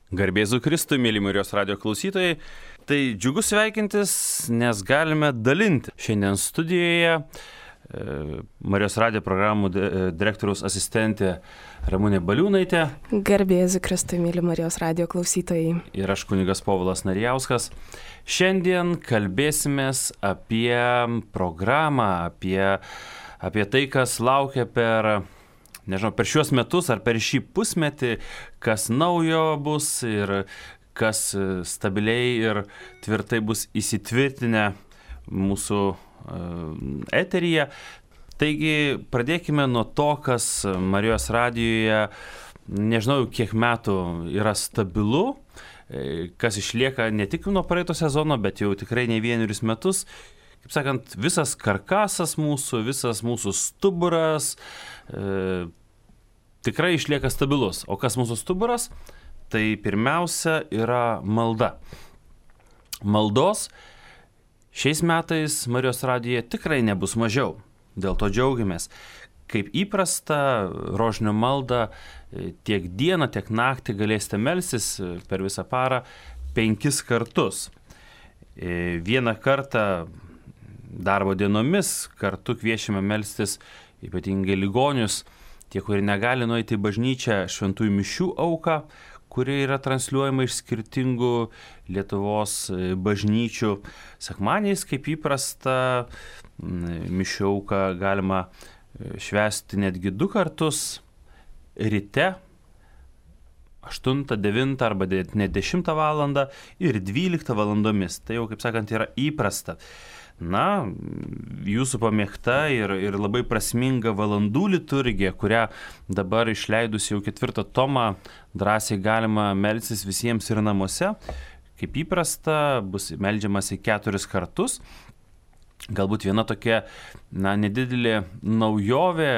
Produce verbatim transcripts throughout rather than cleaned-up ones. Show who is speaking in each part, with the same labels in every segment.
Speaker 1: Garbėzu Kristui, mėly Marijos radijo klausytojai. Tai džiugu sveikintis, nes galime dalinti. Šiandien studijoje e, Marijos radijo programų de, direktoriaus asistentė Ramunė Baliūnaitė.
Speaker 2: Garbėzu Kristui, mėly Marijos radijo klausytojai.
Speaker 1: Ir aš kunigas Povilas Narijauskas. Šiandien kalbėsimės apie programą, apie, apie tai, kas laukia per... Nežinau, per šiuos metus ar per šį pusmetį, kas naujo bus ir kas stabiliai ir tvirtai bus įsitvirtinę mūsų eteryje. Taigi pradėkime nuo to, kas Marijos radijoje, nežinau, kiek metų yra stabilu, kas išlieka ne tik nuo praeito sezono, bet jau tikrai ne vienerius metus. Kaip sakant, visas karkasas mūsų, visas mūsų stuburas e, tikrai išlieka stabilus. O kas mūsų stuburas? Tai pirmiausia yra malda. Maldos šiais metais Marijos radijoje tikrai nebus mažiau. Dėl to džiaugiamės. Kaip įprasta, rožinio maldą tiek dieną, tiek naktį galėsite melstis per visą parą penkis kartus. Vieną kartą darbo dienomis kartu kviečiame melstis ypatingai ligonius, tie, kurie negali nueiti į bažnyčią, šventųjų mišių auką, kuri yra transliuojama iš skirtingų Lietuvos bažnyčių. Sekmadieniais, kaip įprasta, mišių auką galima švęsti netgi du kartus, ryte, aštuntą, devintą arba net dešimtą valandą ir dvyliktą valandomis. Tai jau, kaip sakant, yra įprasta. Na, jūsų pamėgta ir, ir labai prasminga valandų liturgija, kurią dabar išleidus jau ketvirtą tomą drąsiai galima melstis visiems ir namuose. Kaip įprasta, bus meldžiamasi keturis kartus. Galbūt viena tokia, na, nedidelė naujovė,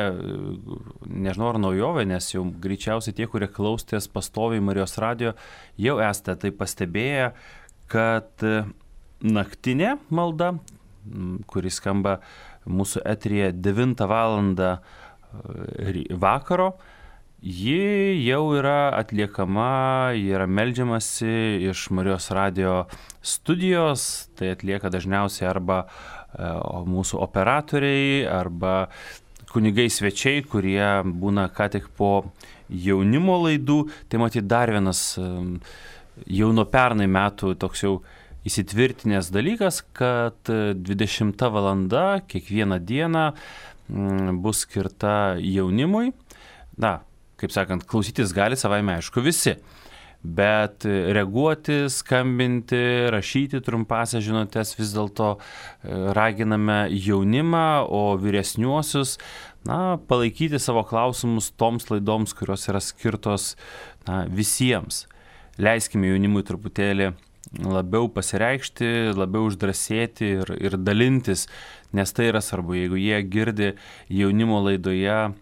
Speaker 1: nežinau ar naujovė, nes jau greičiausiai tie, kurie klausotės pastoviai Marijos radijo, jau esate tai pastebėję, kad naktinė malda, kuris skamba mūsų eteryje devintą valandą vakaro, ji jau yra atliekama, yra meldžiamasi iš Marijos radijo studijos, tai atlieka dažniausiai arba mūsų operatoriai, arba kunigai svečiai, kurie būna ką tik po jaunimo laidų. Tai matyt dar vienas jau nuo pernai metų toks jau įsitvirtinęs dalykas, kad dvidešimta valanda kiekvieną dieną bus skirta jaunimui. Na, kaip sakant, klausytis gali savaime aišku visi, bet reaguoti, skambinti, rašyti trumpąsias žinutes vis dėlto raginame jaunimą, o vyresniuosius, na, palaikyti savo klausimus toms laidoms, kurios yra skirtos, na, visiems. Leiskime jaunimui truputėlį labiau pasireikšti, labiau uždrasėti ir, ir dalintis, nes tai yra svarbu, jeigu jie girdi jaunimo laidoje,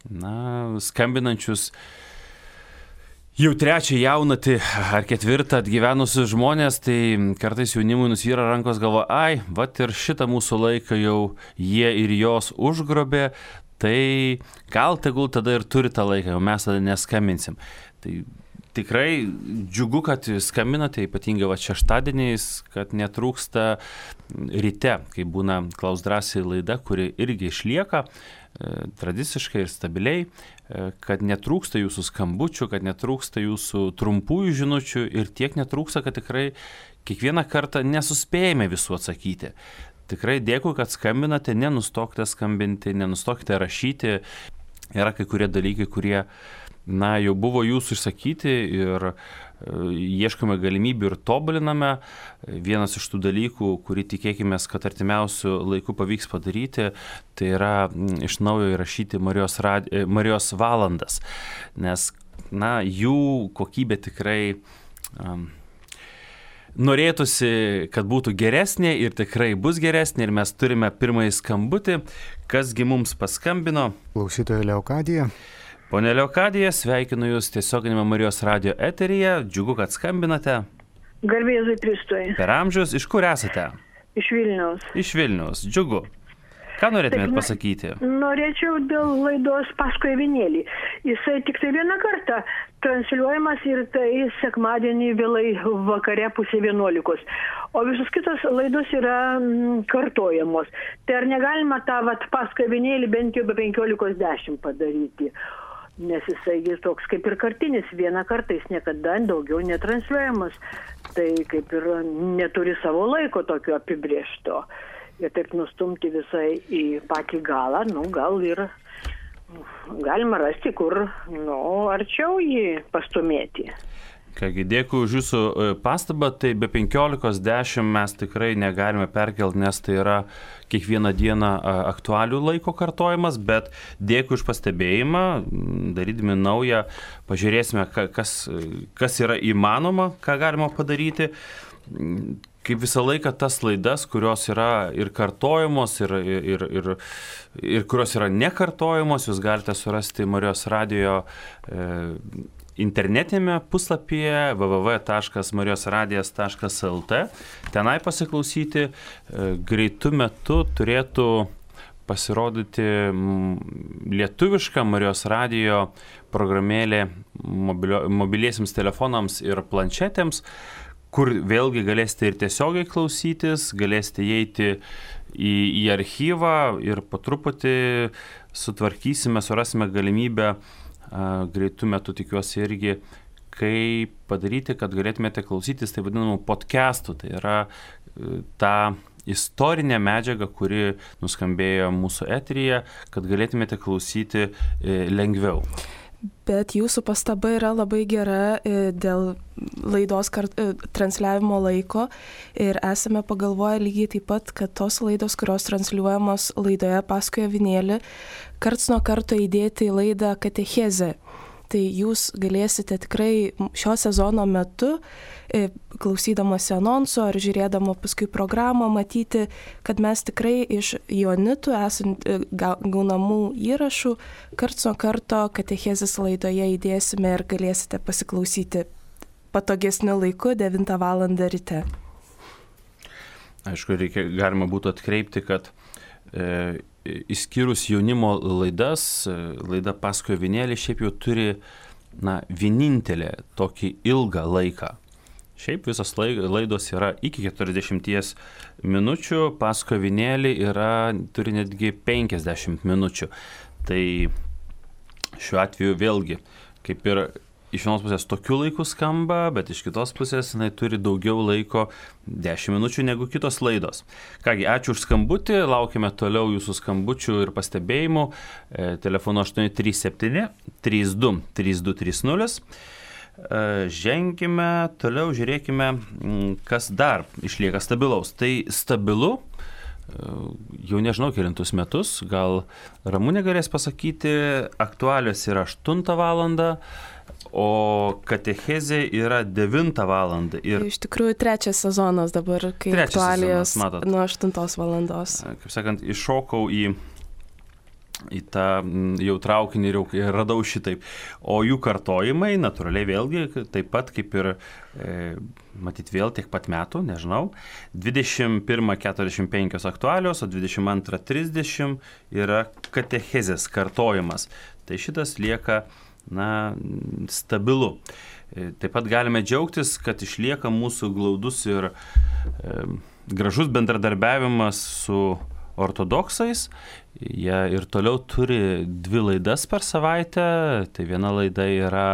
Speaker 1: na, skambinančius jau trečią jaunatį ar ketvirtą atgyvenusius žmonės, tai kartais jaunimui nusvyra rankos, galvo, ai, vat ir šitą mūsų laiką jau jie ir jos užgrobė, tai gal tegul tada ir turi tą laiką, jau mes tada neskambinsim. Tai tikrai džiugu, kad skambinate, ypatingai va šeštadieniais, kad netrūksta ryte, kai būna Klaus drąsiai laida, kuri irgi išlieka e, tradiciškai ir stabiliai, e, kad netrūksta jūsų skambučių, kad netrūksta jūsų trumpųjų žinučių ir tiek netrūksta, kad tikrai kiekvieną kartą nesuspėjame visų atsakyti. Tikrai dėkui, kad skambinate, nenustokite skambinti, nenustokite rašyti. Yra kai kurie dalykai, kurie na, jau buvo jūsų išsakyti ir e, ieškome galimybių ir tobuliname. Vienas iš tų dalykų, kurį tikėkime, kad artimiausių laikų pavyks padaryti, tai yra m, iš naujo įrašyti Marijos, radi, Marijos valandas, nes, na, jų kokybė tikrai um, norėtųsi, kad būtų geresnė ir tikrai bus geresnė ir mes turime pirmąjį skambutį. Kasgi mums paskambino?
Speaker 3: Klausytoja Leokadija.
Speaker 1: Pone Leokadija, sveikinu Jūs tiesioginėme Marijos radijo eteryje. Džiugu, kad skambinate.
Speaker 4: Garbėzui Kristui.
Speaker 1: Per amžius. Iš kur esate?
Speaker 4: Iš Vilniaus.
Speaker 1: Iš Vilniaus. Džiugu. Ką norėtumėt pasakyti?
Speaker 3: Norėčiau dėl laidos Paskui avinėlį. Jisai tik tai vieną kartą transliuojamas ir tai sekmadienį vėlai vakare pusė vienuolikos. O visus kitos laidos yra mm, kartojamos. Tai ar negalima tą vat, Paskui avinėlį bent jau be penkiolikos dešimt padaryti? Nes jisai jis toks kaip ir kartinis, vieną kartą jis niekada daugiau netransliuojamas, tai kaip ir neturi savo laiko tokio apibrėžto. Ir taip nustumti visai į patį galą, nu gal ir galima rasti, kur nu, arčiau jį pastumėti.
Speaker 1: Kągi, dėkui už jūsų pastabą, tai be penkiolikos dešimt mes tikrai negalime perkelti, nes tai yra kiekvieną dieną aktualių laiko kartojimas, bet dėkui už pastebėjimą, darydami naują, pažiūrėsime, kas, kas yra įmanoma, ką galima padaryti. Kaip visą laiką tas laidas, kurios yra ir kartojamos, ir, ir, ir, ir kurios yra nekartojamos, jūs galite surasti Marijos radijo e, internetinėme puslapyje w w w taškas marijos radijas taškas l t. Tenai pasiklausyti greitų metu turėtų pasirodyti lietuviška Marijos radijo programėlė mobilio, mobiliesiems telefonams ir planšetėms, kur vėlgi galėsite ir tiesiogiai klausytis, galėsite įeiti į, į archyvą ir po truputį sutvarkysime, surasime galimybę greitų metų, tikiuosi irgi, kaip padaryti, kad galėtumėte klausytis tai vadinamų podcastų. Tai yra ta istorinė medžiaga, kuri nuskambėjo mūsų eteryje, kad galėtumėte klausyti lengviau.
Speaker 2: Bet jūsų pastaba yra labai gera dėl laidos kart, transliavimo laiko ir esame pagalvoję lygiai taip pat, kad tos laidos, kurios transliuojamos laidoje Paskui avinėlį, karts nuo karto įdėti į laidą katechezę. Tai jūs galėsite tikrai šio sezono metu, klausydamasi anonsų ar žiūrėdama paskui programą, matyti, kad mes tikrai iš Joanitų esant gaunamų įrašų karts nuo karto katechezės laidoje įdėsime ir galėsite pasiklausyti patogesniu laiku devintą valandą ryte.
Speaker 1: Aišku, reikia, galima būtų atkreipti, kad e, išskyrus jaunimo laidas, laida Paskui avinėlį šiaip jau turi na, vienintelę tokį ilgą laiką. Šiaip visos laidos yra iki keturiasdešimties minučių, Paskui avinėlį yra, turi netgi penkiasdešimt minučių. Tai šiuo atveju vėlgi, kaip ir iš vienos pusės tokiu laiku skamba, bet iš kitos pusės jinai turi daugiau laiko, dešimt minučių negu kitos laidos. Kągi, ačiū už skambutį, laukime toliau jūsų skambučių ir pastebėjimų. E, telefonu aštuoni trys septyni trys du trys du trys nulis. E, ženkime toliau, žiūrėkime, kas dar išlieka stabilaus. Tai stabilu, e, jau nežinau kelintus metus, gal Ramunė galės pasakyti, aktualios yra aštuntą valandą, o katechezė yra devintą valandą. Ir
Speaker 2: iš tikrųjų trečias sezonas dabar, kai aktualijos nuo aštuntos valandos.
Speaker 1: Kaip sakant, iššokau į, į tą jau traukinį ir radau šitaip. O jų kartojimai, natūraliai vėlgi, taip pat kaip ir, e, matyt vėl tiek pat metų, nežinau, dvidešimt pirmą keturiasdešimt penkios aktualios, o dvidešimt antrą trisdešimt yra katechezės kartojimas. Tai šitas lieka na, stabilu. Taip pat galime džiaugtis, kad išlieka mūsų glaudus ir e, gražus bendradarbiavimas su ortodoksais. Jie ir toliau turi dvi laidas per savaitę. Tai viena laida yra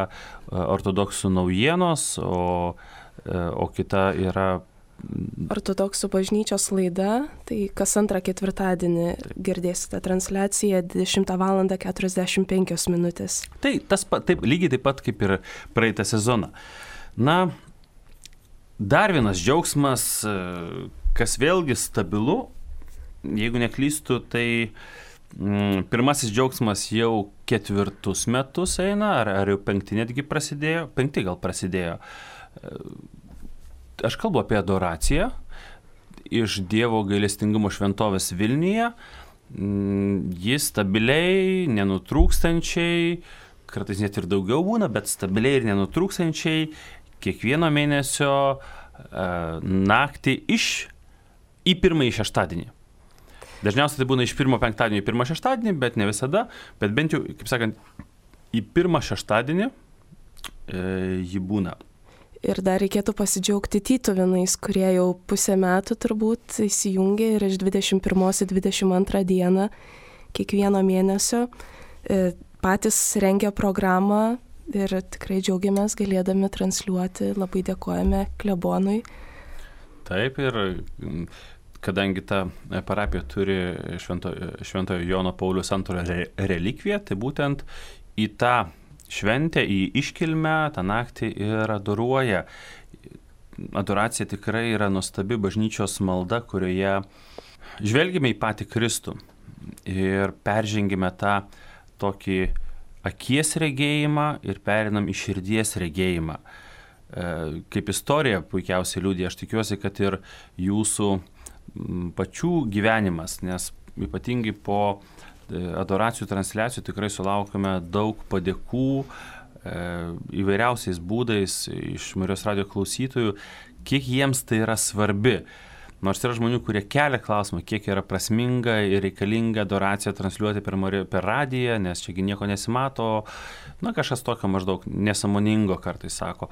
Speaker 1: ortodoksų naujienos, o, o kita yra
Speaker 2: Ortodoksų bažnyčios laida, tai kas antrą ketvirtadienį girdėsite transliaciją dvidešimtą valandą keturiasdešimt penkios minutės.
Speaker 1: Tai tas taip, lygiai taip pat kaip ir praeitą sezoną. Na, dar vienas džiaugsmas, kas vėlgi stabilu, jeigu neklystu, tai mm, pirmasis džiaugsmas jau ketvirtus metus eina, ar, ar jau penkti netgi prasidėjo, penkti gal prasidėjo. Aš kalbu apie adoraciją iš Dievo gailestingumo šventovės Vilniuje. Jis stabiliai, nenutrūkstančiai, kartais net ir daugiau būna, bet stabiliai ir nenutrūkstančiai kiekvieno mėnesio e, naktį iš į pirmąjį šeštadienį. Dažniausiai tai būna iš pirmo penktadienio į pirmą šeštadienį, bet ne visada, bet bent jau, kaip sakant, į pirmą šeštadienį e, ji būna.
Speaker 2: Ir dar reikėtų pasidžiaugti tytuvėnais, kurie jau pusę metų turbūt įsijungė ir iš dvidešimt pirmos į dvidešimt antrą dieną kiekvieno mėnesio e, patys rengia programą ir tikrai džiaugiamės galėdami transliuoti, labai dėkojame klebonui.
Speaker 1: Taip, ir kadangi ta parapija turi švento, šventojo Jono Pauliaus antrojo re, relikviją, tai būtent į tą šventę, į iškilmę tą naktį ir adoruoja. Adoracija tikrai yra nuostabi bažnyčios malda, kurioje žvelgime į patį Kristų ir peržengime tą tokį akies regėjimą ir perinam į širdies regėjimą. Kaip istorija puikiausiai liudija, aš tikiuosi, kad ir jūsų pačių gyvenimas, nes ypatingai po adoracijų transliacijų tikrai sulaukime daug padėkų įvairiausiais būdais iš Marijos radijo klausytojų, kiek jiems tai yra svarbi. Nors yra žmonių, kurie kelia klausimą, kiek yra prasminga ir reikalinga adoraciją transliuoti per, per radiją, nes čiagi nieko nesimato, na kažkas tokio maždaug nesąmoningo kartais sako.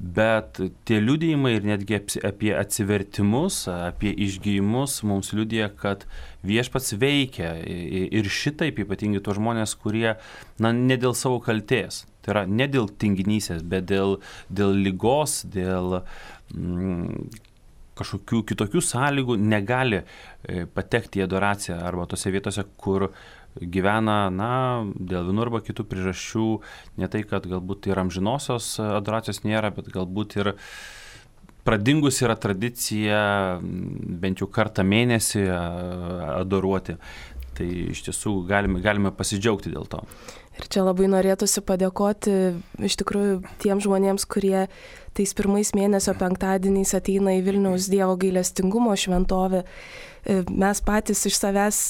Speaker 1: Bet tie liudijimai ir netgi apie atsivertimus, apie išgijimus mums liudija, kad viešpats veikia ir šitaip ypatingai tuos žmonės, kurie, na, ne dėl savo kaltės, tai yra ne dėl tinginysės, bet dėl, dėl ligos, dėl mm, kažkokių kitokių sąlygų negali patekti į adoraciją arba tose vietose, kur gyvena, na, dėl vienų arba kitų priežasčių, ne tai, kad galbūt ir amžinosios adoracijos nėra, bet galbūt ir pradingus yra tradicija bent jau kartą mėnesį adoruoti. Tai iš tiesų galime, galime pasidžiaugti dėl to.
Speaker 2: Ir čia labai norėtųsi padėkoti iš tikrųjų tiems žmonėms, kurie tais pirmais mėnesio penktadieniais ateina į Vilniaus Dievo gailestingumo šventovę. Mes patys iš savęs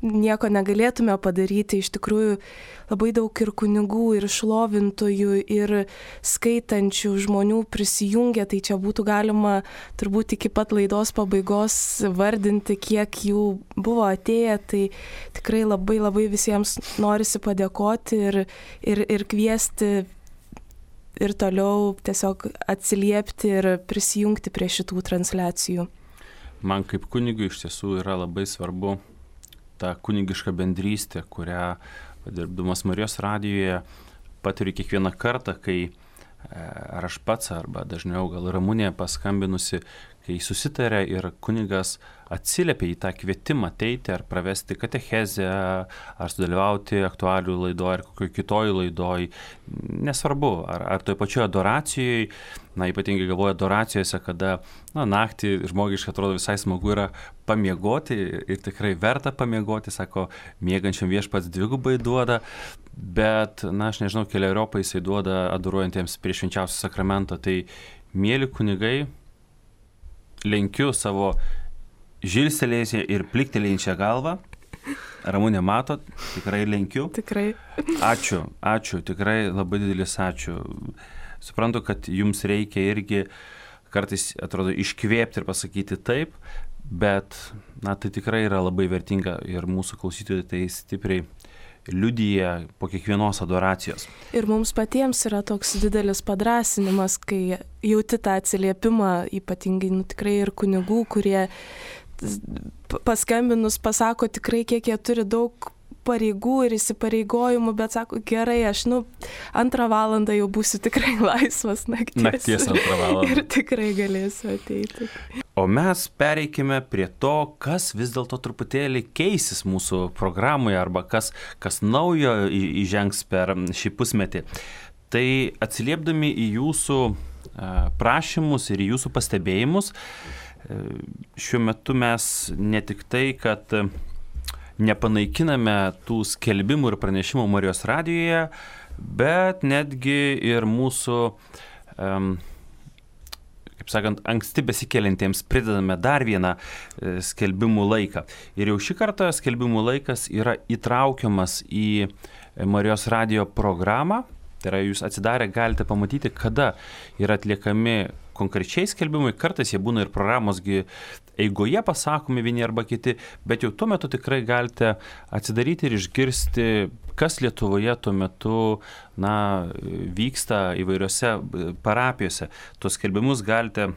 Speaker 2: nieko negalėtume padaryti, iš tikrųjų labai daug ir kunigų, ir šlovintojų, ir skaitančių žmonių prisijungia, tai čia būtų galima turbūt iki pat laidos pabaigos vardinti, kiek jų buvo atėję, tai tikrai labai labai visiems norisi padėkoti ir, ir, ir kviesti ir toliau tiesiog atsiliepti ir prisijungti prie šitų transliacijų.
Speaker 1: Man kaip kunigui iš tiesų yra labai svarbu ta kunigiška bendrystė, kurią, dirbdamas Marijos radijoje, patiriu kiekvieną kartą, kai ar aš pats, arba dažniau gal Ramunė paskambinusi, kai susitarė ir kunigas atsiliepia į tą kvietimą ateiti ar pravesti katechezę, ar sudalyvauti aktualių laidoje ar kokioje kitoje laidoje, nesvarbu, ar, ar toje pačioje adoracijoje, na ypatingai galvoju adoracijose, kada na, naktį žmogiškai atrodo visai smagu yra pamiegoti ir tikrai verta pamiegoti, sako, miegančiam viešpats dvigubai duoda, bet, na aš nežinau, keliariopą jisai duoda adoruojantiems prie švenčiausio sakramento, tai mėly kunigai, lenkiu savo žilstelėjusią ir pliktelėjančią galvą. Ramunė matot, tikrai lenkiu.
Speaker 2: Tikrai.
Speaker 1: Ačiū, ačiū, tikrai labai didelis ačiū. Suprantu, kad jums reikia irgi kartais, atrodo, iškvėpti ir pasakyti taip, bet, na, tai tikrai yra labai vertinga ir mūsų klausytojai tai stipriai liudija po kiekvienos adoracijos.
Speaker 2: Ir mums patiems yra toks didelis padrąsinimas, kai jauti tą atsiliepimą, ypatingai nu, tikrai ir kunigų, kurie paskambinus pasako tikrai, kiek jie turi daug pareigų ir įsipareigojimų, bet sako, gerai, aš nu antrą valandą jau būsiu tikrai laisvas nakties.
Speaker 1: Nakties antrą valandą.
Speaker 2: Ir tikrai galėsiu ateiti.
Speaker 1: O mes pereikime prie to, kas vis dėlto truputėlį keisis mūsų programoje arba kas, kas naujo įžengs per šį pusmetį. Tai atsiliepdami į jūsų prašymus ir į jūsų pastebėjimus, šiuo metu mes ne tik tai, kad nepanaikiname tų skelbimų ir pranešimų Marijos radijoje, bet netgi ir mūsų, um, kaip sakant, anksti besikeliantiems pridedame dar vieną skelbimų laiką. Ir jau šį kartą skelbimų laikas yra įtraukiamas į Marijos radijo programą. Tai yra, jūs atsidarę galite pamatyti, kada yra atliekami konkrečiai skelbimai, kartais jie būna ir programos eigoje pasakomi vieni arba kiti, bet jau tuo metu tikrai galite atsidaryti ir išgirsti, kas Lietuvoje tuo metu na, vyksta įvairiose parapijose. Tuos skelbimus galite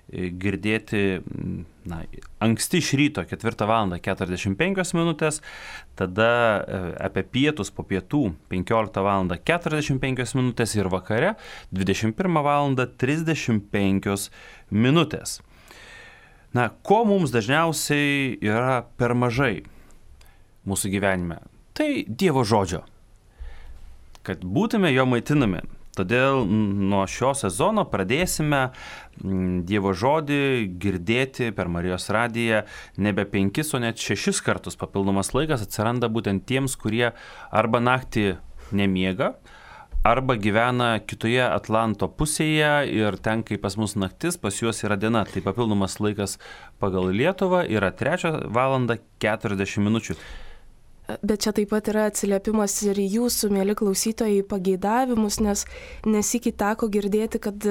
Speaker 1: girdėti na, anksti iš ryto ketvirtą valandą keturiasdešimt penkios minutės, tada apie pietus po pietų penkioliktą valandą keturiasdešimt penkios minutės ir vakare dvidešimt pirmą valandą trisdešimt penkios minutės. Na, ko mums dažniausiai yra per mažai mūsų gyvenime? Tai Dievo žodžio. Kad būtume jo maitinami. Todėl nuo šio sezono pradėsime Dievo žodį girdėti per Marijos radiją nebe penkis, o net šešis kartus. Papildomas laikas atsiranda būtent tiems, kurie arba naktį nemiega, arba gyvena kitoje Atlanto pusėje ir ten, kai pas mus naktis, pas juos yra diena. Tai papildomas laikas pagal Lietuvą yra trečią valandą keturiasdešimt minučių.
Speaker 2: Bet čia taip pat yra atsiliepimas ir jūsų, mėly klausytojai, pageidavimus, nes nesikį teko girdėti, kad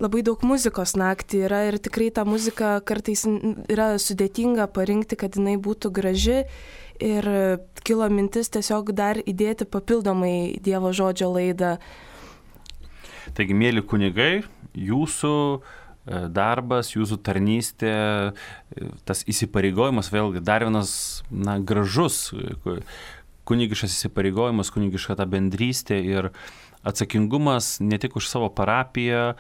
Speaker 2: labai daug muzikos naktį yra ir tikrai ta muzika kartais yra sudėtinga parinkti, kad jinai būtų graži ir kilo mintis tiesiog dar įdėti papildomai Dievo žodžio laidą.
Speaker 1: Taigi, mėly kunigai, jūsų darbas, jūsų tarnystė, tas įsipareigojimas, vėlgi dar vienas na, gražus kunigiškas įsipareigojimas, kunigiška ta bendrystė ir atsakingumas ne tik už savo parapiją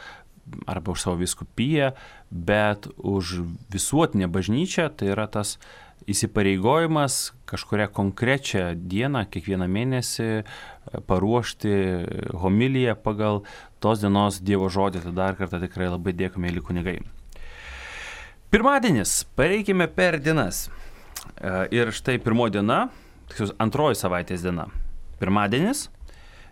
Speaker 1: arba už savo vyskupiją, bet už visuotinę bažnyčią, tai yra tas įsipareigojimas kažkurią konkrečią dieną, kiekvieną mėnesį paruošti homiliją pagal tos dienos Dievo žodį. Tai dar kartą tikrai labai dėkui, mėly kunigai. Pirmadienis, pareikime per dienas. Ir štai pirmoji diena, tiksliau antroji savaitės diena. Pirmadienis,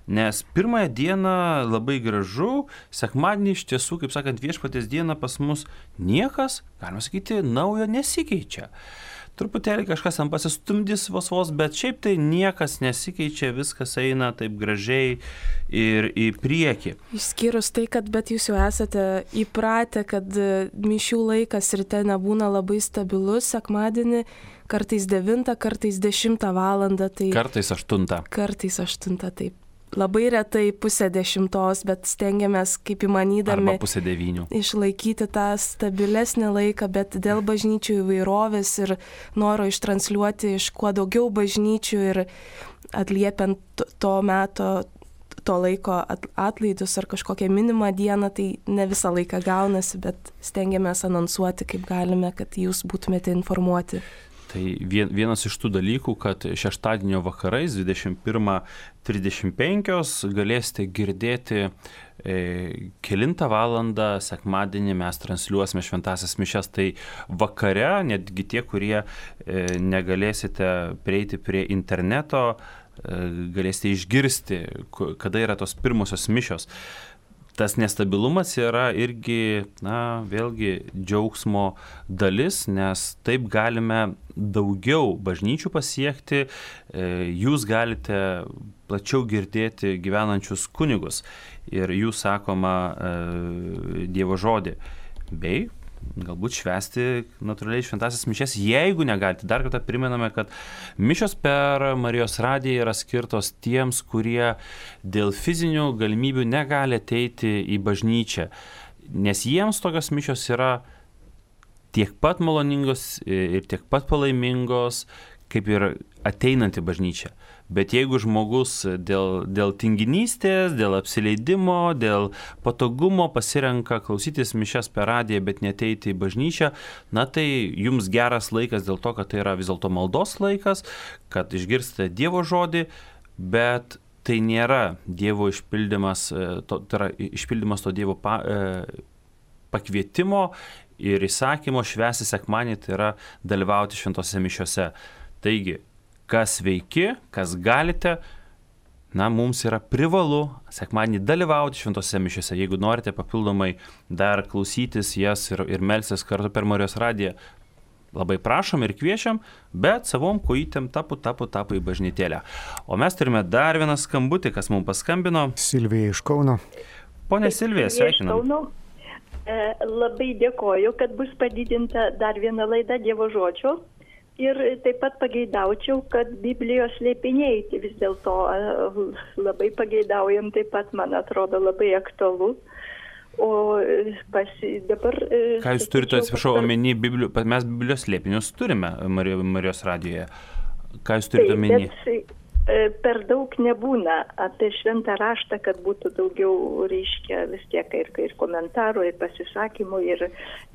Speaker 1: nes pirmąją dieną labai gražu, sekmadienį iš tiesų, kaip sakant, viešpaties dieną pas mus niekas, galima sakyti, naujo nesikeičia. Truputėlį kažkas ten pasistumdys vos vos, bet šiaip tai niekas nesikeičia, viskas eina taip gražiai ir į priekį.
Speaker 2: Išskyrus tai, kad bet jūs jau esate įpratę, kad mišių laikas ryte nebūna labai stabilus, sekmadienį kartais devintą, kartais dešimtą valandą. Tai
Speaker 1: kartais aštuntą.
Speaker 2: Kartais aštuntą, taip. Labai retai pusę dešimtos, bet stengiamės kaip įmanydami
Speaker 1: arba pusę devynių
Speaker 2: išlaikyti tą stabilesnį laiką, bet dėl bažnyčių įvairovės ir noro ištransliuoti iš kuo daugiau bažnyčių ir atliepiant to meto, to laiko atlaidus ar kažkokią minimą dieną, tai ne visą laiką gaunasi, bet stengiamės anonsuoti kaip galime, kad jūs būtumėte informuoti.
Speaker 1: Tai vienas iš tų dalykų, kad šeštadienio vakarais dvidešimt pirmą trisdešimt penkios galėsite girdėti e, kelintą valandą sekmadienį mes transliuosime šventąsias mišias. Tai vakare, netgi tie, kurie e, negalėsite prieiti prie interneto, e, galėsite išgirsti, kada yra tos pirmosios mišios. Tas nestabilumas yra irgi, na, vėlgi džiaugsmo dalis, nes taip galime daugiau bažnyčių pasiekti, jūs galite plačiau girdėti gyvenančius kunigus ir jų sakoma Dievo žodį, bei galbūt švęsti natūraliai šventąsias mišias, jeigu negalite. Dar kartą primename, kad mišios per Marijos radiją yra skirtos tiems, kurie dėl fizinių galimybių negali ateiti į bažnyčią, nes jiems tokios mišios yra tiek pat maloningos ir tiek pat palaimingos, kaip ir ateinanti bažnyčia. Bet jeigu žmogus dėl, dėl tinginystės, dėl apsileidimo, dėl patogumo pasirenka klausytis mišias per radiją, bet neteiti į bažnyčią, na tai jums geras laikas dėl to, kad tai yra vis dėlto maldos laikas, kad išgirstate Dievo žodį, bet tai nėra Dievo išpildymas, to, tai yra išpildymas to Dievo pa, e, pakvietimo ir įsakymo švęsti sekmadienį, tai yra dalyvauti šventose mišiose. Taigi, kas veiki, kas galite, na, mums yra privalu sekmadienį dalyvauti šventose mišiose. Jeigu norite papildomai dar klausytis jas ir, ir melstis kartu per Marijos radiją, labai prašom ir kviečiam, bet savom kojytėm tapu, tapu, tapu į bažnytėlę. O mes turime dar vieną skambutį, kas mums paskambino.
Speaker 4: Silvija iš Kauno.
Speaker 1: Pone Silvija, sveikinam.
Speaker 4: Labai dėkoju, kad bus padidinta dar viena laida Dievo žodžio. Ir taip pat pageidaučiau, kad Biblijos slėpiniai, tai vis dėlto labai pageidaujam, taip pat, man atrodo, labai aktualu. O pasi, dabar...
Speaker 1: Ką jūs turite, atsiprašau, omeny, Biblio, mes Biblijos slėpinius turime Marijos radijoje. Ką jūs turite omeny?
Speaker 4: Bet per daug nebūna apie šventą raštą, kad būtų daugiau, reiškia, vis tiek ir, ir komentarų, ir pasisakymų, ir,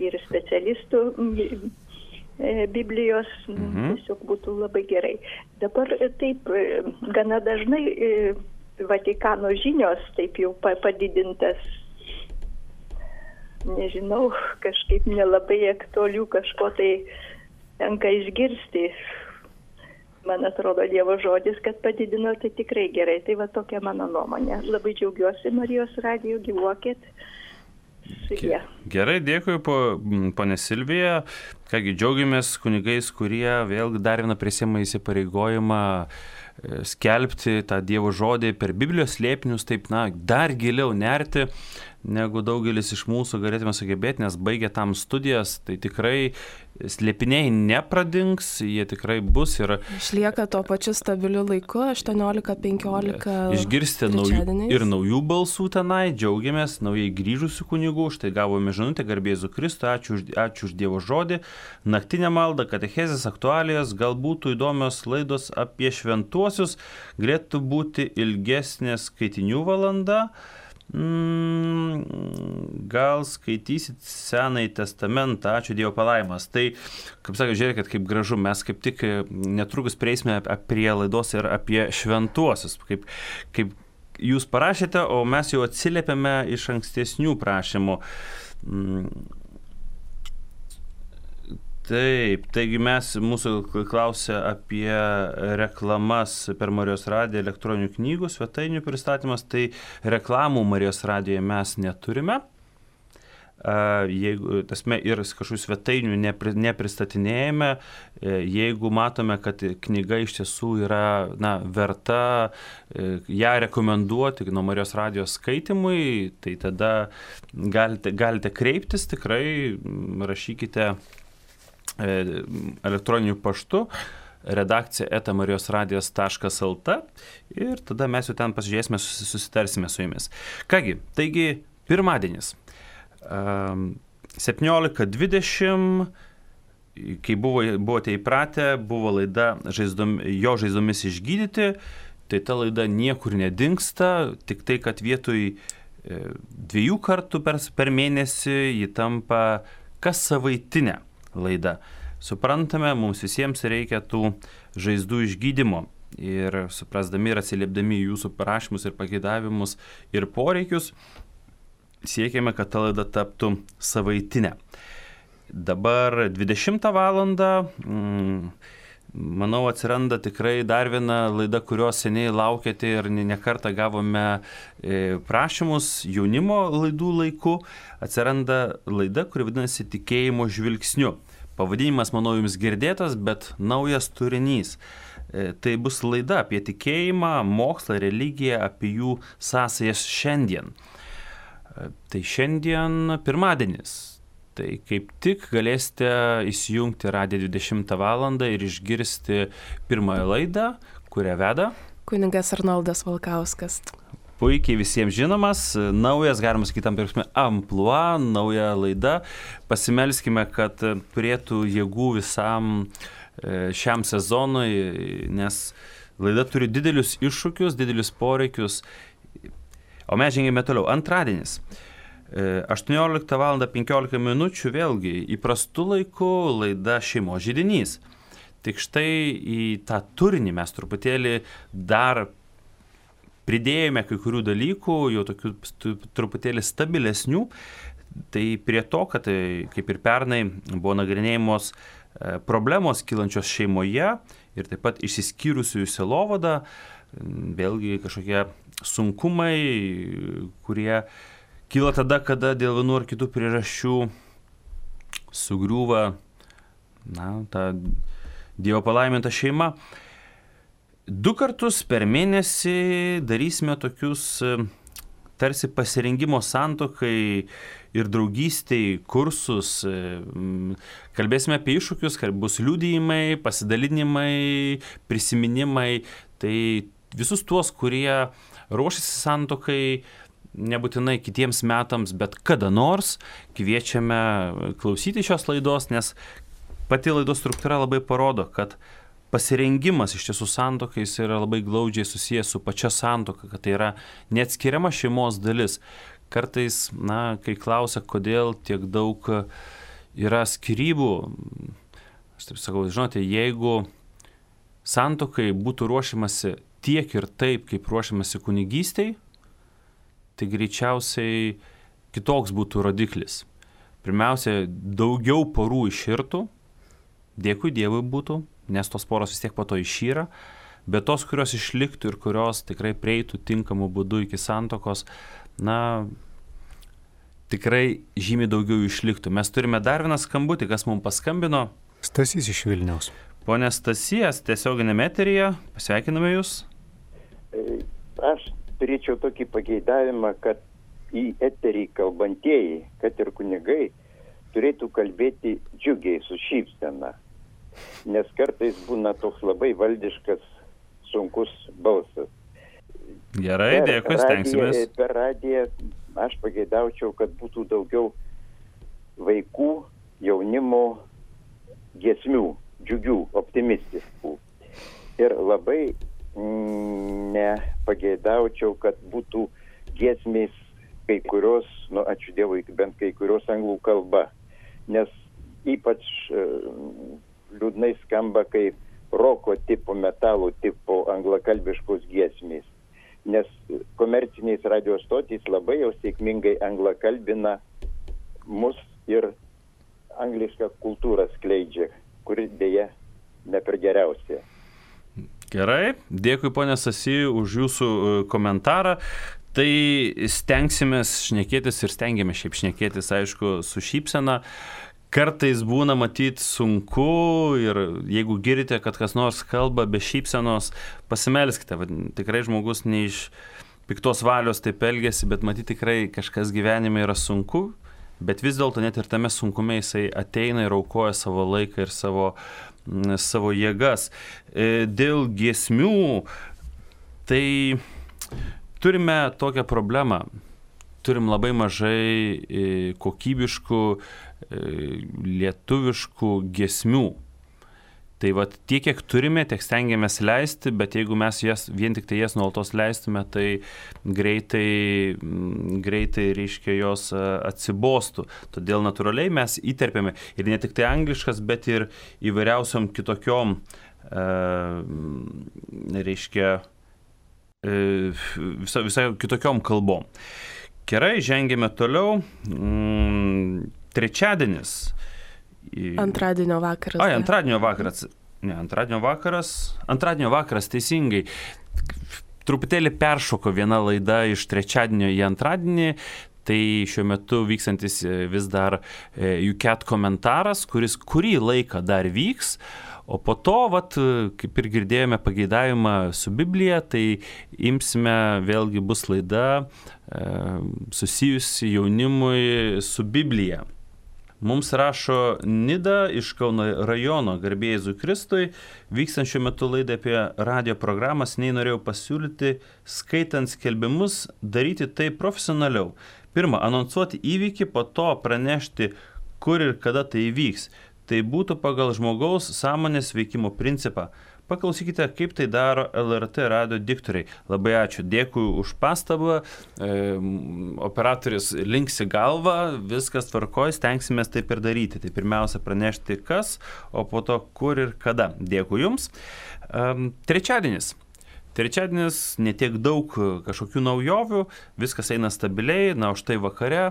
Speaker 4: ir specialistų Biblijos, mhm. tiesiog būtų labai gerai. Dabar taip, gana dažnai Vatikano žinios, taip jau padidintas, nežinau, kažkaip nelabai aktualių kažko tai tenka išgirsti. Man atrodo, Dievo žodis, kad padidino, tai tikrai gerai. Tai va tokia mano nuomonė. Labai džiaugiuosi Marijos radiju, gyvuokit. Sudie.
Speaker 1: Gerai, dėkui, ponė Silvija. Kągi, džiaugiamės kunigais, kurie vėl dar vieną prisiima įsipareigojimą skelbti tą Dievo žodį per Biblijos slėpinius, taip, na, dar giliau nerti, negu daugelis iš mūsų galėtume sugebėti, nes baigę tam studijas, tai tikrai slėpiniai nepradings, jie tikrai bus ir...
Speaker 2: Išlieka tuo pačiu stabiliu laiku, aštuoniolika penkiolika
Speaker 1: išgirsti naujų, ir naujų balsų tenai, džiaugiamės, naujai grįžusių kunigų, štai gavome žinutę, garbė Jėzų Kristų, ačiū, ačiū už Dievo žodį, naktinę maldą, katechezės aktualijas, galbūt įdomios laidos apie šventuosius, galėtų būti ilgesnė skaitinių valanda. Mm, gal skaitysit Senąjį testamentą, ačiū Dievo palaimas. Tai, kaip sakė, žiūrėkit, kaip gražu, mes kaip tik netrukus prieisime prie laidos ir apie šventuosius, kaip, kaip jūs parašėte, o mes jau atsiliepėme iš ankstesnių prašymų. Mm. Taip, taigi mes, mūsų klausia apie reklamas per Marijos radiją, elektroninių knygų, svetainių pristatymas, tai reklamų Marijos radijoje mes neturime. Jeigu, tasme, ir kažkokių svetainių nepri, nepristatinėjame, jeigu matome, kad knyga iš tiesų yra, na, verta ją rekomenduoti nuo Marijos radijos skaitimui, tai tada galite, galite kreiptis, tikrai rašykite elektroniniu paštu redakcija eta marijosradijas taškas lt ir tada mes jau ten pasižiūrėsime, susitarsime su jumis. Kągi, taigi pirmadienis septyniolika dvidešimt, kai buvo, buvote įpratę, buvo laida žaizdom, jo žaizdomis išgydyti, tai ta laida niekur nedingsta, tik tai, kad vietoj dviejų kartų per, per mėnesį ji tampa kas savaitinė laida. Suprantame, mums visiems reikia tų žaizdų išgydymo ir suprasdami ir atsiliepdami jūsų prašymus ir pageidavimus ir poreikius, siekiame, kad ta laida taptų savaitinė. Dabar dvidešimtą valandą, mm, manau, atsiranda tikrai dar viena laida, kurios seniai laukėte ir nekartą gavome prašymus jaunimo laidų laiku. Atsiranda laida, kuri vadinasi Tikėjimo žvilgsniu. Pavadinimas, manau, jums girdėtas, bet naujas turinys. Tai bus laida apie tikėjimą, mokslą, religiją, apie jų sąsajas šiandien. Tai šiandien pirmadienis. Tai kaip tik galėsite įsijungti radiją dvidešimtą valandą ir išgirsti pirmąją laidą, kurią veda
Speaker 2: kunigas Arnoldas Valkauskas.
Speaker 1: Puikiai visiems žinomas, naujas, galima sakyti, tam prasme, amplua, nauja laida. Pasimelskime, kad turėtų jėgų visam šiam sezonui, nes laida turi didelius iššūkius, didelius poreikius. O mes žengėme toliau. Antradienis. aštuonioliktą valandą penkiolika minučių, vėlgi, įprastų laikų laida Šeimos židinys. Tik štai į tą turinį mes truputėlį dar pridėjome kai kurių dalykų, jau tokių truputėlį stabilesnių. Tai prie to, kad kaip ir pernai buvo nagrinėjamos problemos kylančios šeimoje ir taip pat išsiskyrusiųjų sielovada, vėlgi kažkokie sunkumai, kurie kyla tada, kada dėl vienų ar kitų priežasčių sugriūva, na, ta Dievo palaiminta šeima. Du kartus per mėnesį darysime tokius tarsi pasirengimo santuokai ir draugystei kursus. Kalbėsime apie iššūkius, kad bus liudijimai, pasidalinimai, prisiminimai. Tai visus tuos, kurie ruošiasi santuokai, nebūtinai kitiems metams, bet kada nors kviečiame klausyti šios laidos, nes pati laidos struktūra labai parodo, kad pasirengimas iš tiesų santuokais yra labai glaudžiai susijęs su pačia santuoka, kad tai yra neatskiriama šeimos dalis. Kartais, na, kai klausia, kodėl tiek daug yra skyrybų, aš taip sakau, žinote, jeigu santuokai būtų ruošiamasi tiek ir taip, kaip ruošiamasi kunigystei, tai greičiausiai kitoks būtų rodiklis. Pirmiausia, daugiau porų iširtų, dėkui Dievui būtų, nes tos poros vis tiek po to išyra, bet tos, kurios išliktų ir kurios tikrai prieitų tinkamų būdų iki santuokos, na, tikrai žymiai daugiau išliktų. Mes turime dar vieną skambutį, kas mums paskambino.
Speaker 5: Stasys iš Vilniaus.
Speaker 1: Pone Stasijas, tiesioginėme eteryje, pasveikiname Jūs.
Speaker 6: Aš turėčiau tokį pageidavimą, kad į eterį kalbantieji, kad ir kunigai, turėtų kalbėti džiugiai, su šypsena. Nes kartais būna toks labai valdiškas, sunkus balsas.
Speaker 1: Gerai, per dėkui, stengsimės.
Speaker 6: Radiją, per radiją aš pageidaučiau, kad būtų daugiau vaikų, jaunimo giesmių, džiugių, optimistiškų. Ir labai nepageidaučiau, kad būtų giesmės kai kurios, nu ačiū Dievui, bent kai kurios anglų kalba. Nes ypač liūdnai skamba, kai roko tipo, metalo tipo anglakalbiškos giesmės. Nes komerciniais radio stotys labai jau sėkmingai anglakalbina mus ir anglišką kultūrą skleidžia, kuri dėja ne per geriausia.
Speaker 1: Gerai, dėkui ponė Stasy už jūsų komentarą. Tai stengsimės šnekėtis ir stengiamės šiaip šnekėtis, aišku, su šypsena. Kartais būna matyti sunku ir jeigu girdite, kad kas nors kalba be šypsenos, pasimelskite. Tikrai žmogus ne iš piktos valios taip elgiasi, bet matyti tikrai kažkas gyvenime yra sunku, bet vis dėlto net ir tame sunkume jisai ateina ir aukoja savo laiką ir savo, savo jėgas. Dėl giesmių, tai turime tokią problemą. Turim labai mažai kokybiškų lietuviškų giesmių. Tai vat tiek, kiek turime, tiek stengiamės leisti, bet jeigu mes jas, vien tik tai jas nuolatos leistume, tai greitai, greitai reiškia jos atsibostų. Todėl natūraliai mes įterpėme ir ne tik tai angliškas, bet ir įvairiausiom kitokiom, reiškia, visai, visai kitokiom kalbom. Gerai, žengėme toliau. Trečiadienis.
Speaker 2: Antradienio vakaras.
Speaker 1: Ai, antradienio vakaras. Ne, antradienio vakaras. Antradienio vakaras, teisingai. Truputėlį peršoko viena laida iš trečiadienio į antradienį. Tai šiuo metu vykstantis vis dar U C A T komentaras, kuris kurį laiką dar vyks. O po to, vat, kaip ir girdėjome pageidavimą su Biblija, tai imsime, vėlgi bus laida e, susijusi jaunimui su Biblija. Mums rašo Nida iš Kauno rajono, garbė Jėzui Kristui, vykstant šiuo metu laidą apie radio programas, nei norėjau pasiūlyti, skaitant skelbimus, daryti tai profesionaliau. Pirma, anonsuoti įvykį, po to pranešti, kur ir kada tai įvyks. Tai būtų pagal žmogaus sąmonės veikimo principą. Paklausykite, kaip tai daro L R T radio diktoriai. Labai ačiū, dėkui už pastabą. E, operatorius linksi galvą, viskas tvarkoj, stengsimės taip ir daryti. Tai pirmiausia pranešti kas, o po to kur ir kada. Dėkui Jums. E, trečiadienis. Trečiadienis netiek daug kažkokių naujovių, viskas eina stabiliai, na, o štai vakare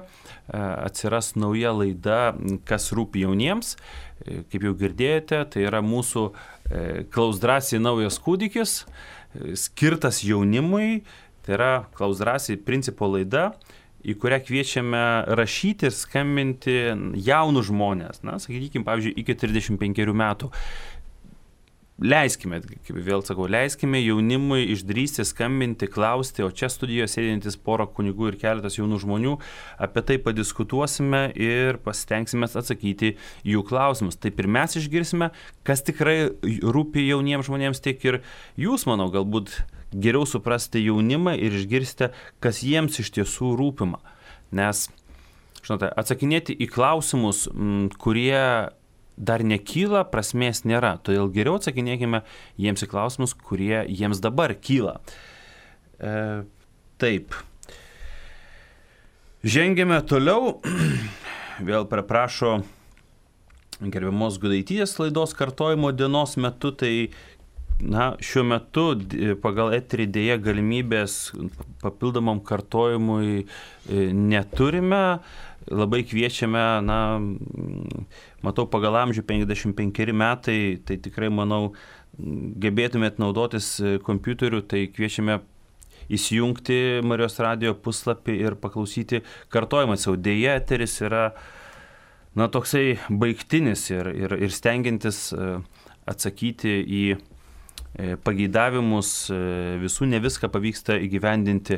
Speaker 1: atsiras nauja laida, kas rūpi jauniems. Kaip jau girdėjote, tai yra mūsų Klaus drąsiai naujas kūdikis, skirtas jaunimui, tai yra Klaus drąsiai principo laida, į kurią kviečiame rašyti ir skambinti jaunus žmonės, na, sakykime, pavyzdžiui, iki trisdešimt penkerių metų. leiskime, kaip vėl sakau, leiskime jaunimui išdrįsti, skambinti, klausti, o čia studijoje sėdintis pora kunigų ir keletas jaunų žmonių, apie tai padiskutuosime ir pasitengsime atsakyti jų klausimus. Taip ir mes išgirsime, kas tikrai rūpi jauniems žmonėms, tiek ir jūs, manau, galbūt geriau suprasti jaunimą ir išgirsti, kas jiems iš tiesų rūpima. Nes, žinote, atsakinėti į klausimus, kurie dar nekyla, prasmės nėra. Todėl geriau atsakinėkime jiems į klausimus, kurie jiems dabar kyla. E, taip. Žengėme toliau. Vėl praprašo gerbiamos Gudaitytės laidos kartojimo dienos metu. Tai na, šiuo metu pagal eterį dėja galimybės papildomam kartojimui neturime. Labai kviečiame, na, matau, pagal amžių penkiasdešimt penkeri metai, tai tikrai, manau, gebėtumėt naudotis kompiuteriu, tai kviečiame įsijungti Marijos radijo puslapį ir paklausyti kartojimą. Jau dėja, eteris yra, na, toksai baigtinis ir, ir, ir stengiantis atsakyti į pageidavimus, visų ne viską pavyksta įgyvendinti.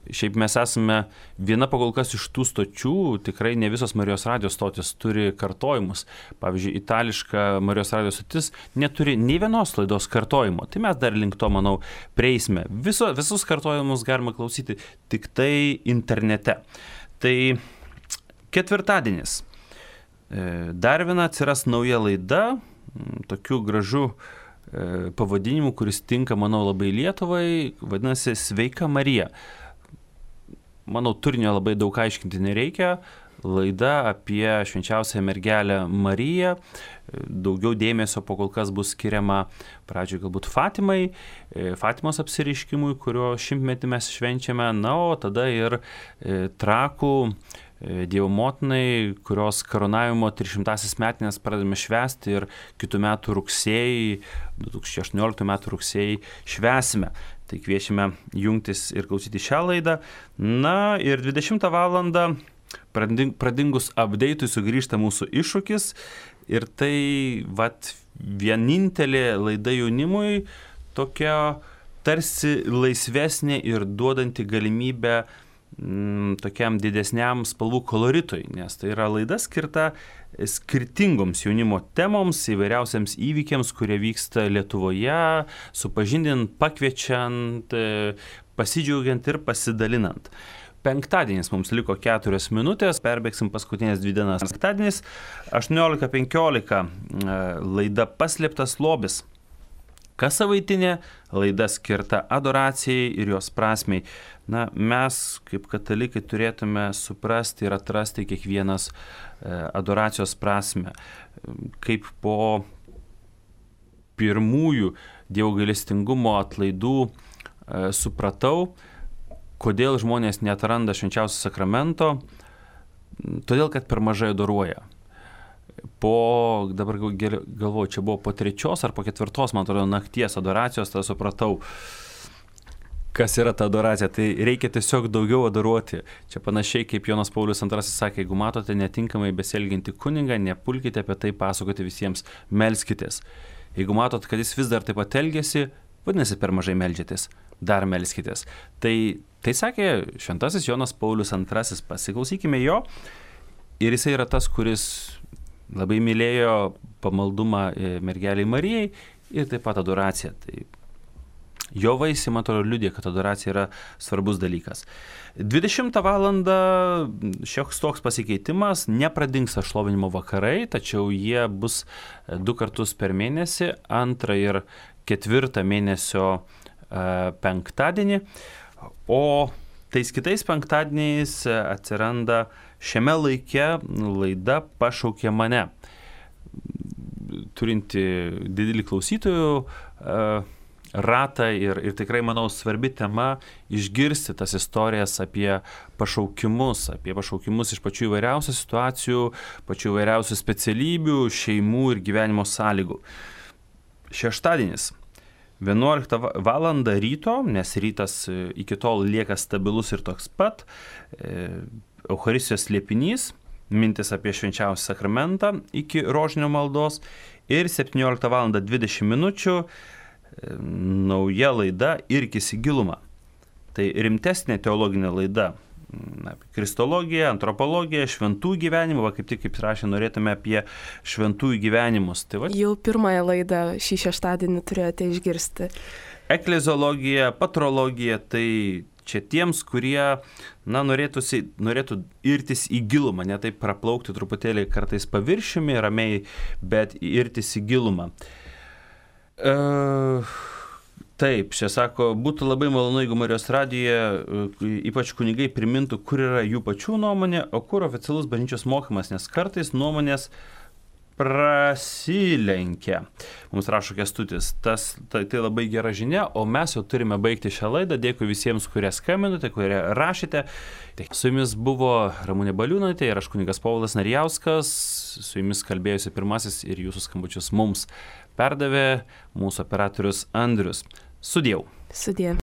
Speaker 1: Šiaip mes esame viena pakol kas iš tų stočių, tikrai ne visos Marijos radijos stotis turi kartojimus. Pavyzdžiui, itališka Marijos radijos stotis neturi nei vienos laidos kartojimo. Tai mes dar link to, manau, prieisime. Viso, visus kartojimus galima klausyti tik tai internete. Tai ketvirtadienis. Dar viena atsiras nauja laida, tokiu gražu pavadinimu, kuris tinka, manau, labai Lietuvai, vadinasi Sveika Marija. Manau, turinio labai daug aiškinti nereikia. Laida apie švenčiausią mergelę Mariją. Daugiau dėmesio po kol kas bus skiriama pradžioje galbūt Fatimai, Fatimos apsireiškimui, kurio šimtmetį mes švenčiame, na, o tada ir Trakų Dievo motinai, kurios karūnavimo trisdešimtąsias metinės pradedame švęsti ir kitų metų rugsėjį, du tūkstančiai aštuonioliktų metų rugsėjį švęsime. Tai kviečiame jungtis ir klausyti šią laidą. Na ir dvidešimtą valandą pradingus update'ui sugrįžta mūsų iššūkis ir tai vat vienintelė laida jaunimui tokia tarsi laisvesnė ir duodanti galimybę tokiam didesniam spalvų koloritui, nes tai yra laida skirta skirtingoms jaunimo temoms, įvairiausiams įvykiams, kurie vyksta Lietuvoje, supažindint, pakviečiant, pasidžiaugiant ir pasidalinant. Penktadienis mums liko keturios minutės, perbėgsim paskutinės dvi dienas. Penktadienis aštuoniolika penkiolika laida Paslėptas lobis. Kas savaitinė laida skirta adoracijai ir jos prasmei. Na, mes kaip katalikai turėtume suprasti ir atrasti kiekvienas adoracijos prasmę. Kaip po pirmųjų Dievo gailestingumo atlaidų supratau, kodėl žmonės neatranda švenčiausio sakramento, todėl kad per mažai adoruoja. Po, dabar galvoju, čia buvo po trečios ar po ketvirtos, man atrodo, nakties adoracijos, tada supratau, kas yra ta adoracija. Tai reikia tiesiog daugiau adoruoti. Čia panašiai kaip Jonas Paulius antrasis sakė, jeigu matote netinkamai besielgiantį kunigą, nepulkite apie tai pasakoti visiems, melskitės. Jeigu matot, kad jis vis dar taip pat elgiasi, vadinasi, per mažai meldžiatės, dar melskitės. Tai, tai sakė šventasis Jonas Paulius antrasis, pasiklausykime jo. Ir jisai yra tas, kuris labai mylėjo pamaldumą mergeliai Marijai ir taip pat adoraciją. Tai jo vaisiai, man atrodo, liudija, kad adoracija yra svarbus dalykas. dvidešimtą valandą šioks toks pasikeitimas, nepradingsta šlovinimo vakarai, tačiau jie bus du kartus per mėnesį, antrą ir ketvirtą mėnesio penktadienį, o tais kitais penktadieniais atsiranda šiame laike laida Pašaukė mane, turinti didelį klausytojų ratą ir, ir tikrai, manau, svarbi tema išgirsti tas istorijas apie pašaukimus, apie pašaukimus iš pačių įvairiausių situacijų, pačių įvairiausių specialybių, šeimų ir gyvenimo sąlygų. Šeštadienis. vienuoliktą valandą ryto, nes rytas iki tol lieka stabilus ir toks pat, Eucharistijos slėpinys, mintis apie švenčiausią sakramentą iki rožinio maldos ir septynioliktą valandą dvidešimt minučių nauja laida Irkis į gilumą. Tai rimtesnė teologinė laida apie kristologiją, antropologiją, šventų gyvenimų, va kaip tik kaip rašė, norėtume apie šventųjų gyvenimus. Tai va...
Speaker 2: Jau pirmąją laidą šį šeštadienį turėjote išgirsti.
Speaker 1: Ekleziologija, patrologija, tai čia tiems, kurie na, norėtųsi, norėtų irtis į gilumą, ne taip praplaukti truputėlį kartais paviršiumi, ramiai, bet irtis į gilumą. Uh, taip, čia sako, būtų labai malonu, jeigu Marijos radijoje ypač kunigai primintų, kur yra jų pačių nuomonė, o kur oficialus bažnyčios mokymas, nes kartais nuomonės prasilenkia. Mums rašo Kęstutis, tas, tai, tai labai gera žinia, o mes jau turime baigti šią laidą. Dėkui visiems, kurie skambinote, kurie rašėte. Tai su jumis buvo Ramunė Baliūnaitė ir aš kunigas Povilas Narijauskas. Su jumis kalbėjusi pirmasis ir jūsų skambučius mums perdavė mūsų operatorius Andrius. Sudieu.
Speaker 2: Sudie.